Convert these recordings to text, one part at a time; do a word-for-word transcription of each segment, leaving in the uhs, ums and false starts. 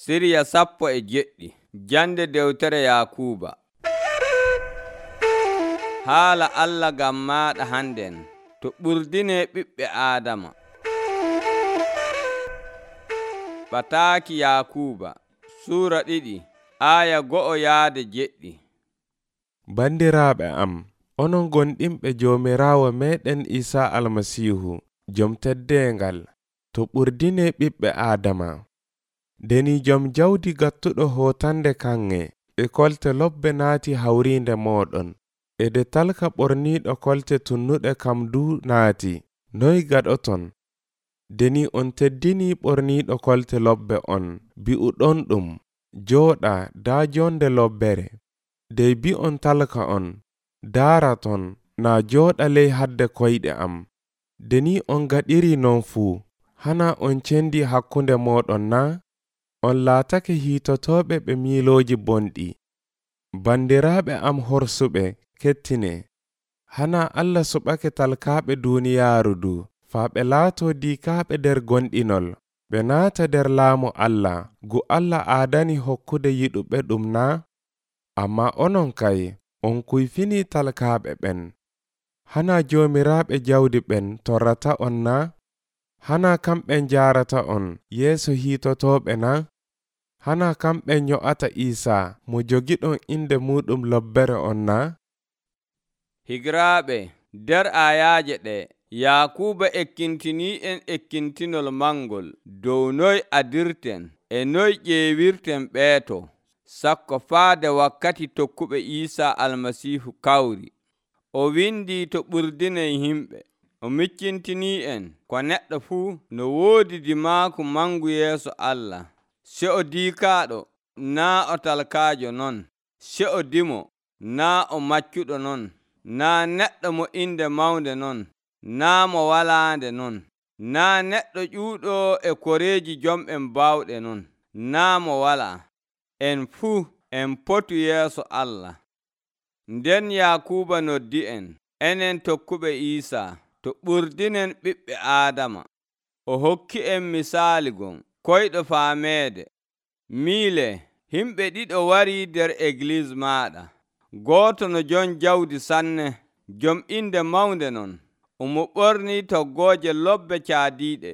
Siriya sappo e jeɗɗi. Jande dewtere Yakuuba. Haala Allah ngam maaɗa hannden to ɓurdine ɓiɓɓe Aadama. Ɓataaki Yakuuba suura ɗiɗi aaya go'o yaade jeɗɗi. Bandiraaɓe am, onon gonɗinɓe Joomiraawo meeɗen Iisaa Almasiihu, jom teddeengal, to ɓurdine ɓiɓɓe Aadama. Deni jom jawdi gattuɗo hootande kanŋe e kolte lobbe naati hawriinde mooɗon, e de talka ɓorniiɗo kolte tunnuɗe kam du naati, noy gaɗoton? Deni on teddini ɓorniiɗo kolte lobbe on, bi'uɗon ɗum, jooɗa daa jonde lobbere. Dey bi'on talka on, daaraton, naa jooɗa ley hadde koyɗe am. Deni on gaɗiri non fuu, hana on cendi hakkunde mooɗon na? On laatake hiitotooɓe ɓe miilooji bonɗi. Bandiraaɓe am horsuɓe, kettine. Hana Allah suɓake talkaaɓe duuniyaaru du, faa ɓe laatoo diikaaɓe nder gonɗinol, ɓe naata nder laamu Allah, gu Allah aadani hokkude yiɗuɓe ɗum na? Ammaa onon kay, on kuyfini talkaaɓe ɓen. Hana joomiraaɓe jawdi ɓen torrata on na? Hana kamɓe njaarata on yeeso hiitotooɓe na? Hana kamɓe nyo'ata Iisaa mo jogiɗon inde muɗum lobbere on na? Higiraaɓe, nder aayaaje ɗe, Yakuuba ekkintinii en ekkintinol mangol dow noy adirten e noy ƴeewirten ɓeeto, sakko faade wakkati tokkuɓe Iisaa Almasiihu kawri. O windii to ɓurdinen yimɓe. O miccintinii en ko neɗɗo fuu no woodi dimaaku mangu yeeso Allah. Se o diikaaɗo, naa o talkaajo non. Se o dimo, naa o maccuɗo non. Naa neɗɗo mo inde mawnde non. Naa mo walaande non. Naa neɗɗo ƴuuɗo e koreeji jomɓen baawɗe non. Naa mo walaa. En fuu en potu yeeso Allah. Nden Yakuuba noddi en, enen tokkuɓe Iisaa, to ɓurdinen ɓiɓɓe Aadama. O hokki en misaali gon, koyɗo faameede. Miile, himɓe ɗiɗo warii nder Egliis maaɗa. Gooto no jon jawdi sanne, jom inde mawnde non. Omo ɓornii toggooje lobbe caadiiɗe.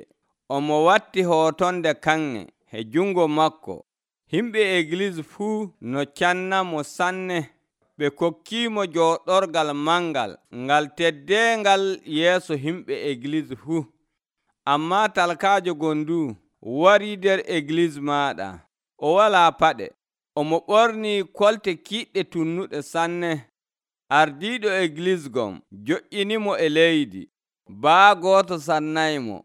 Omo watti hootonde kanŋe e jungo makko. Himɓe Egliis fuu no cannamo sanne. Ɓe kokkiimo jooɗorgal mangal ngal teddeengal yeeso himɓe Egliis fuu. Ammaa talkaajo gondu warii nder Egliis maaɗa. O walaa paɗe. Omo ɓornii kolte kiiɗɗe tunnuɗe sanne. Ardiiɗo Egliis gon joƴƴinimo e leydi. Baa gooto sannaymo.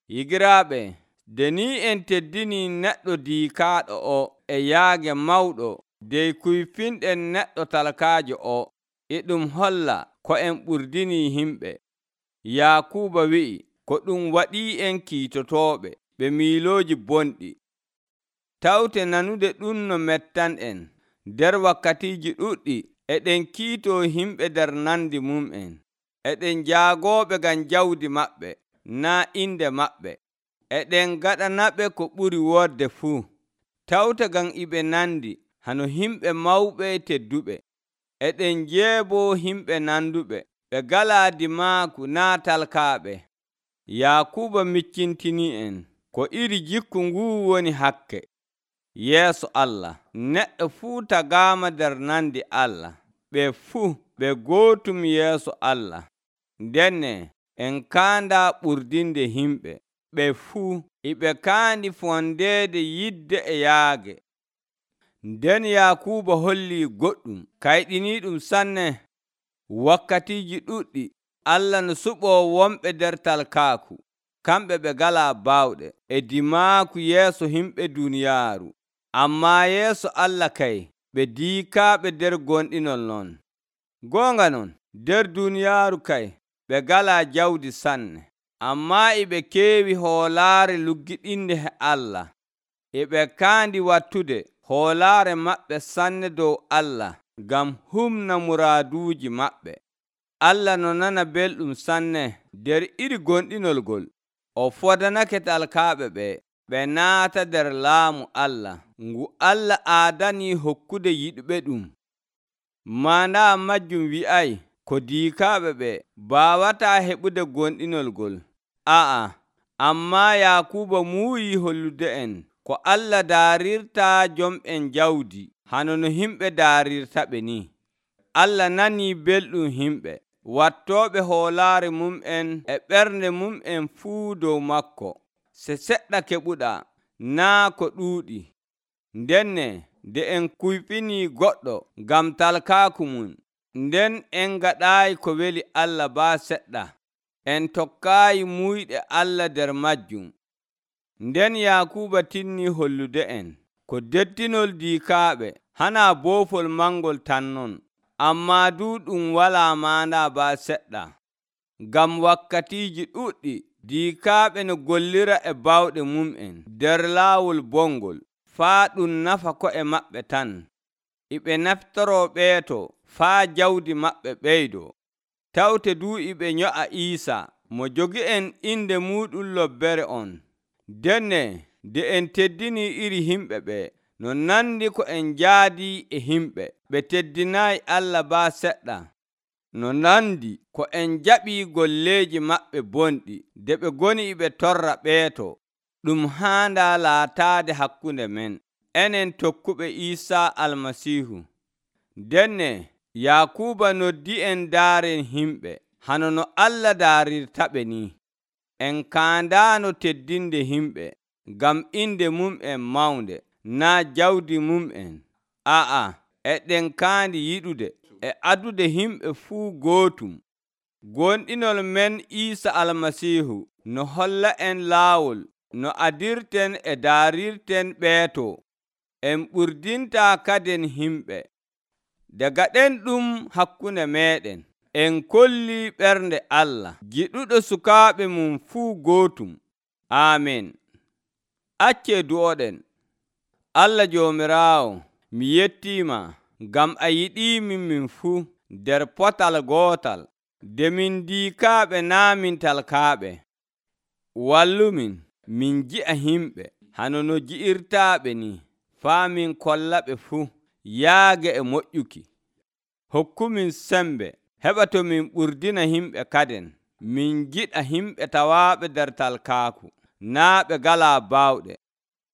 Higiraaɓe, deni en teddinii neɗɗo diikaaɗo o e yaage mawɗo dey kuyfinɗen neɗɗo talkaajo o, e ɗum holla ko en ɓurdinii yimɓe. Yakuuba wi'i ko ɗum waɗii en kiitotooɓe ɓe miilooji bonɗi. Tawte nanude ɗum no mettan'en. Nder wakkatiiji ɗuɗɗi eɗen kiitoo yimɓe nder nandi mum'en. Eɗen jaagooɓe ngam jawdi maɓɓe, naa inde maɓɓe. Eɗen gaɗanaɓe ko ɓuri woodde fuu. Tawte ngam iɓe nandi hano yimɓe mawɓe tedduɓe. Eɗen jeeboo yimɓe nanduɓe, ɓe galaa dimaaku naa talkaaɓe. Yakuuba miccintinii en ko iri jikku nguu woni hakke. Yeeso Allah, neɗɗo fuu tagaama nder nandi Allah. Ɓe fuu ɓe gootum yeeso Allah. Ndenne en kaandaa ɓurdinde yimɓe. Ɓe fuu iɓe kaandi fondeede yidde e yaage. Nden Yakuuba hollii goɗɗum kayɗiniiɗum sanne. Wakkatiiji ɗuɗɗi Allah no suɓoo wonɓe nder talkaaku. Kamɓe ɓe galaa baawɗe e dimaaku yeeso yimɓe duuniyaaru. Ammaa yeeso Allah kay ɓe diikaaɓe nder gonɗinol non. Goonga non, nder duuniyaaru kay ɓe galaa jawdi sanne. Ammaa e ɓe keewi hoolaare luggiɗinde e Allah. E ɓe kaandi wattude hoolaare maɓɓe sanne dow Allah ngam humna muraaduuji maɓɓe. Allah no nana belɗum sanne nder iri gonɗinol ngol. O fodanake talkaaɓe ɓe. ɓe naata nder laamu Allah ngu Allah aadani hokkude yiɗɓe ɗum. Maana majjum wi'ay ko diikaaɓe ɓe baawataa heɓude gonɗinol ngol. Aa, ammaa Yaakuuba muuyi hollude en ko Allah daarirtaa jom'en jawdi hano no himɓe daarirtaɓe ni. Allah nanii belɗum himɓe wattooɓe hoolaare mum'en e ɓernde mum'en fuu dow makko. Se seɗɗa keɓuɗaa, naa ko ɗuuɗi. Ndenne nde en kuyfinii goɗɗo ngam talkaaku mum, nden en ngaɗaayi ko weli Allah baa seɗɗa, en tokkaayi muyɗe Allah nder majjum. Nden Yaakuuba tinnii hollude en ko dettinol diikaaɓe hanaa boofol mangol tan non, ammaa duu ɗum walaa maana baa seɗɗa. Ngam wakkatiiji ɗuɗɗi diikaaɓe no gollira e bawɗe mum'en nder laawol bongol, faa ɗum nafa ko'e maɓɓe tan. E ɓe naftoroo ɓeeto faa jawdi maɓɓe ɓeydoo. Tawte duu e ɓe nyo'a Iisaa mo jogi'en inde muuɗum lobbere on. Denne nde en teddinii iri himɓe ɓe, no nandi ko en njaadii e himɓe ɓe teddinaayi Allah baa seɗɗa, no nandi ko en jaɓii golleeji maɓɓe bonɗi nde ɓe ngoni e ɓe torra ɓeeto. Ɗum haandaa laataade hakkunde men, enen tokkuɓe Iisaa Almasiihu. Denne Yaakuuba noddi en daaren himɓe hano no Allah daarirtaɓe ni. En kaandaano teddinde himɓe ngam inde mum'en mawnde, naa jawdi mum'en. Aa, eɗen kaandi yiɗude e adude himɓe fuu gootum. Gonɗinol men Iisaa Almasiihu no holla en laawol no adirten e daarirten ɓeeto. En ɓurdintaa kaden himɓe. Daga ɗen ɗum hakkunde meeɗen, en kollii ɓernde Allah giɗuɗo sukaaɓe mum fuu gootum. Aamen. Accee du'oɗen. Allah Joomiraawo, mi yettiima ngam a yiɗiimin min fuu nder potal gootal, nde min diikaaɓe naa min talkaaɓe. Wallumin min nji'a himɓe hano no nji'irtaaɓe ni, faa min kollaɓe fuu yaage e moƴƴuki. Hokkumin sembe heɓa to min ɓurdina himɓe kaden, min njiɗa himɓe tawaaɓe nder talkaaku, naa ɓe ngalaa baawɗe.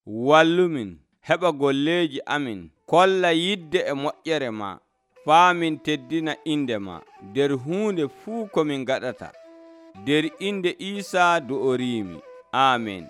Wallumin heɓa golleeji amin kolla yidde e moƴƴere ma, faa min teddina inde ma nder huunde fuu ko min ngaɗata. Nder inde Iisaa do'oriimi. Aamen.